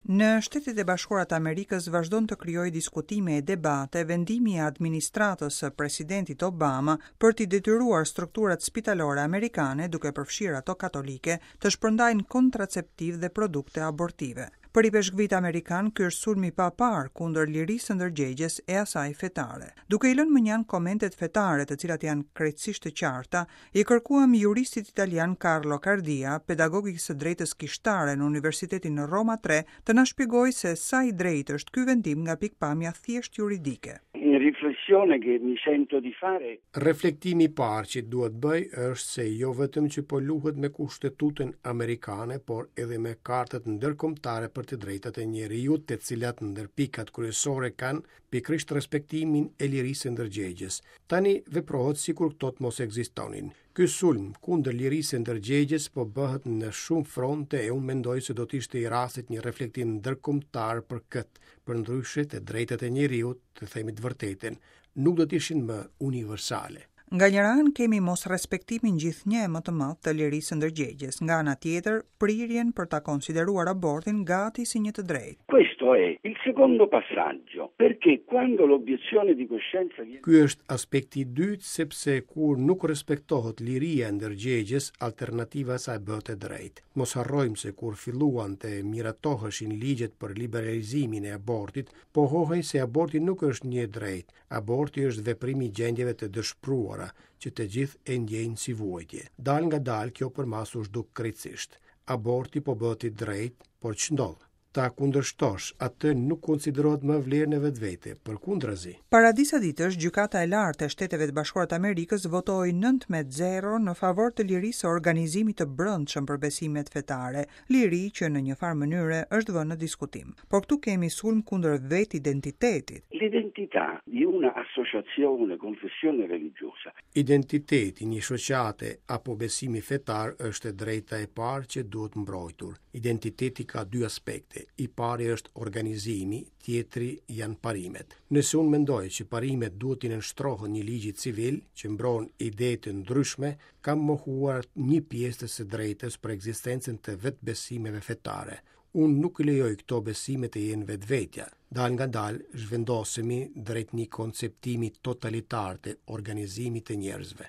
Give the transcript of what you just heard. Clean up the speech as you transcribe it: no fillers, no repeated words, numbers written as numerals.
Në Shtetet e Bashkuara të Amerikës vazhdon të krijojë diskutime e debate vendimi i administratës së presidentit Obama për t'i detyruar strukturat spitalore amerikane, duke përfshirë ato katolike, të shpërndajnë kontraceptivë dhe produkte abortive. Për ipeshkvijtë amerikanë, ky është sulm i paparë kundër lirisë së ndërgjegjes e asaj fetare. Duke i lënë mënjanë komentet fetare, të cilat janë krejtësisht të qarta, I kërkuam juristit italian Carlo Cardia, pedagog i së drejtës kishtare në Universitetin Roma Tre, të na shpjegojë se sa i drejtë është ky vendim nga pikëpamja thjesht juridike. Una riflessione che mi sento di fare. Reflektimi i parë që dua të bëj është se jo vetëm që po luhet me Kushtetutën amerikane, por edhe me kartat ndërkombëtare për të drejtat e njeriut, të cilat ndër pikat kryesore kanë pikërisht respektimin e lirisë së ndërgjegjes. Tani veprohet sikur këto të mos ekzistonin. Ky sulm kundër lirisë së ndërgjegjes po bëhet në shumë fronte e unë mendoj se do të ishte i rastit një reflektim ndërkombëtar për këtë, përndryshe të drejtat e njeriut, të themi të vërtetën, nuk do të ishin më universale. Nga njëra anë kemi mosrespektimin gjithnjë e më të madh të lirisë së ndërgjegjes, nga ana tjetër, prirjen për ta konsideruar abortin gati si një të drejtë. Questo è il secondo passaggio, perché quando l'obiezione di coscienza viene. Ky është aspekti i dytë sepse kur nuk respektohet liria e ndërgjegjes, alternativa e saj bëhet e drejtë. Mos harrojmë se kur filluan të miratoheshin ligjet për liberalizimin e abortit, pohohej se aborti nuk është një e drejtë, Aborti është veprim i gjendjeve të dëshpëruara, që të gjithë e ndjejnë si vuajtje. Dalëngadalë kjo përmasë u zhduk krejtësisht. Aborti po bëhet i drejtë, por ç'ndodh? Ta kundërshtosh atë nuk konsiderohet më vlerë në vetvete, përkundrazi. Para disa ditësh, Gjykata e Lartë e Shteteve të Bashkuara të Amerikës votoi 9 me 0 në favor të lirisë së organizimit të brendshëm për besimet fetare, liri që në një farë mënyre është vënë në diskutim. Por këtu kemi sulm kundër vetë identitetit. L'identità di una associazione, confessione religiosa. Identiteti i një shoqate apo besimi fetar është e drejta e parë që duhet mbrojtur. Identiteti ka dy aspekte. I pari është organizimi, tjetri janë parimet. Nëse unë mendoj që parimet duhet t'i nënshtrohen një ligji civil që mbron ide të ndryshme, kam mohuar një pjesë të së drejtës për ekzistencën të vetëbesimeve fetare. Unë nuk lejoj këto besime të jenë vetvetja. Dalëngadalë zhvendosemi drejt një konceptimi totalitar të organizimit të njerëzve.